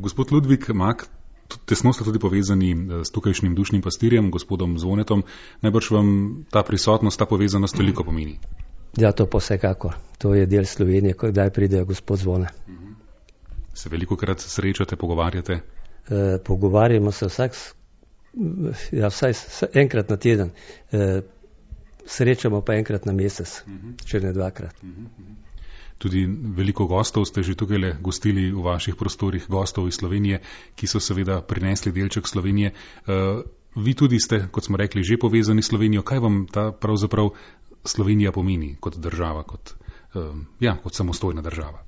Gospod Ludvik Mak, tesno ste tudi povezani s tukajšnjim dušnim pastirjem, gospodom Zvonetom. Najbrž vam ta prisotnost, ta povezanost veliko pomeni. Ja, to pa vsekakor. To je del Slovenije, kdaj pride gospod Zvone. Se velikokrat srečate, pogovarjate? Pogovarjamo se vsaj enkrat na teden. Srečamo pa enkrat na mesec, če ne dvakrat. Tudi veliko gostov ste že tukaj gostili v vaših prostorih, gostov iz Slovenije, ki so seveda prinesli delček Slovenije. Vi tudi ste, kot smo rekli, že povezani s Slovenijo. Kaj vam ta pravzaprav Slovenija pomeni kot država, kot samostojna država?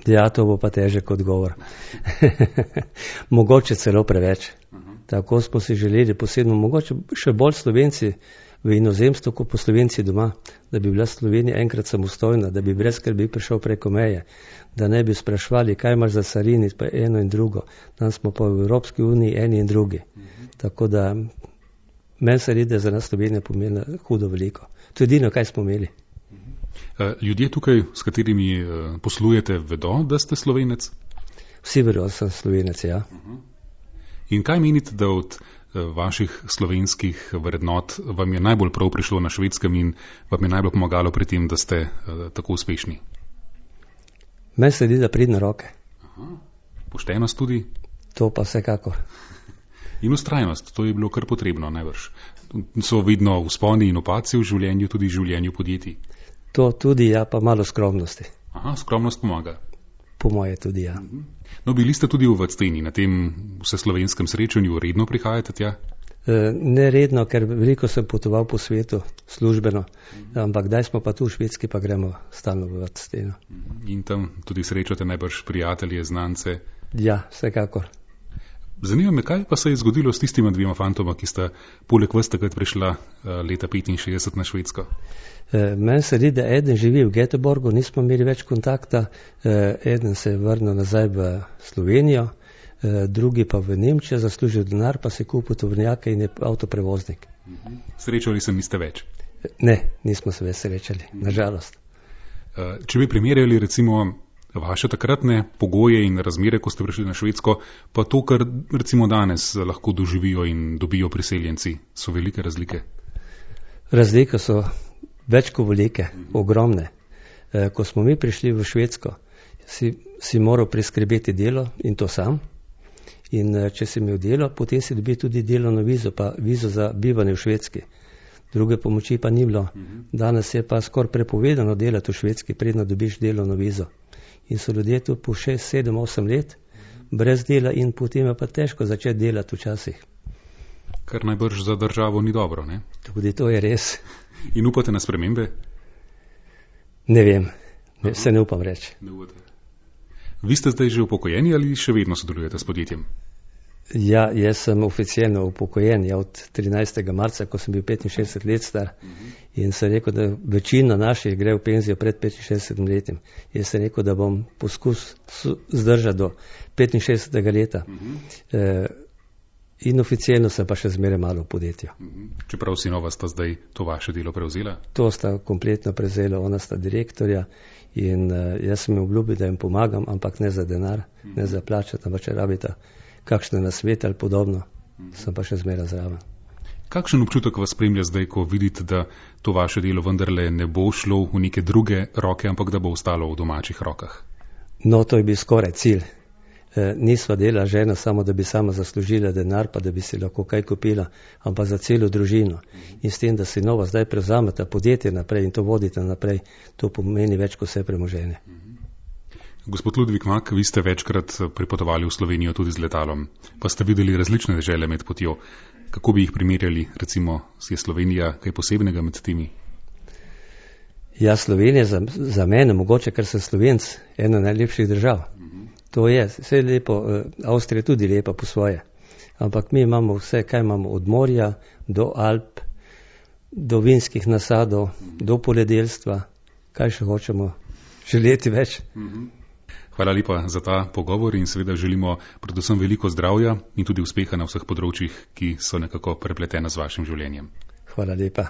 Ja, to bo pa težek odgovor. Mogoče celo preveč. Tako smo si želeli posebno, mogoče še bolj Slovenci v inozemstvu, kot po Slovenci doma, da bi bila Slovenija enkrat samostojna, da bi brez skrbi prišel preko meje, da ne bi sprašvali, kaj imaš za carini, pa eno in drugo. Danes smo pa v Evropski uniji eni in drugi. Tako da meni se redi, da za nas Slovenija pomeni hudo veliko. To je edino, kaj smo imeli. Ljudje tukaj, s katerimi poslujete, vedo, da ste Slovenec? Vsi vedo, da sem Slovenec, ja. In kaj menite, da od vaših slovenskih vrednot vam je najbolj prav prišlo na Švedskem in vam je najbolj pomagalo pri tem, da ste tako uspešni? Meni se zdi, da pridne roke. Poštenost tudi? To pa vsekakor. In vztrajnost, to je bilo kar potrebno najbrž. So vedno vzponi in opaci v življenju, tudi v življenju podjetij. To tudi, ja, pa malo skromnosti. Skromnost pomaga. Po moje tudi, ja. No, bili ste tudi v Vacteni, na tem vseslovenskem srečanju, redno prihajate tja? Ne redno, ker veliko sem potoval po svetu, službeno, ampak kdaj smo pa tu v Švedski, pa gremo stalno v Vacteno. In tam tudi srečate najbrž prijatelje, znance? Ja, vsekakor. Zanima me, kaj pa se je zgodilo s tistima dvema fantoma, ki sta poleg vas takrat prišla leta 65 na Švedsko? Meni se zdi, da eden živi v Göteborgu, nismo imeli več kontakta, eden se je vrnil nazaj v Slovenijo, drugi pa v Nemčijo, zaslužil denar, pa se je kupil tovornjake in je avtoprevoznik. Srečali se niste več? Ne, nismo se več srečali, nažalost. Če bi primerjali recimo vaše takratne pogoje in razmere, ko ste prišli na Švedsko, pa to, kar recimo danes lahko doživijo in dobijo priseljenci, so velike razlike? Razlike so več kot velike, ogromne. Ko smo mi prišli v Švedsko, si moral priskrbeti delo in to sam. In če si imel delo, potem si dobil tudi delovno vizo, pa vizo za bivanje v Švedski. Druge pomoči pa ni bilo. Danes je pa skoraj prepovedano delati v Švedski, predno dobiš delovno vizo. In so ljudje tu po 6, 7, 8 let brez dela in potem je pa težko začeti delati včasih. Kar najbrž za državo ni dobro, ne? Tudi to je res. In upate na spremembe? Ne vem, se ne upam reči. Vi ste zdaj že upokojeni ali še vedno sodelujete s podjetjem? Ja, jaz sem oficialno upokojen, od 13. marca, ko sem bil 65 let star. In sem rekel, da večina naših gre v penzijo pred 65 letim. Jaz sem rekel, da bom poskus zdržati do 65. leta. In oficialno sem pa še zmeraj malo v podjetju. Čeprav sinova sta zdaj to vaše delo prevzela? To sta kompletno prevzela, ona sta direktorja in jaz sem jim obljubil, da jim pomagam, ampak ne za denar, ne za plačati, ampak če rabita kakšne nasvete ali podobno, sem pa še zmeraj zraven. Kakšen občutek vas spremlja zdaj, ko vidite, da to vaše delo vendarle ne bo šlo v neke druge roke, ampak da bo ostalo v domačih rokah? No, to je bil skoraj cilj. Nisva dela žena samo, da bi sama zaslužila denar, pa da bi si lahko kaj kupila, ampak za celo družino. In s tem, da si nova zdaj prevzameta podjetje naprej in to vodite naprej, to pomeni več kot vse premoženje. Gospod Ludvik Mak, vi ste večkrat pripotovali v Slovenijo tudi z letalom, pa ste videli različne dežele med potjo. Kako bi jih primerjali, recimo, je Slovenija kaj posebnega med temi? Ja, Slovenija za mene, mogoče, ker sem Slovenc, ena najlepših držav. To je, vse je lepo, Avstrija je tudi lepa po svoje. Ampak mi imamo vse, kaj imamo od morja do Alp, do vinskih nasadov, do poljedelstva, kaj še hočemo želeti več. Hvala lepa za ta pogovor in seveda želimo predvsem veliko zdravja in tudi uspeha na vseh področjih, ki so nekako prepletena z vašim življenjem. Hvala lepa.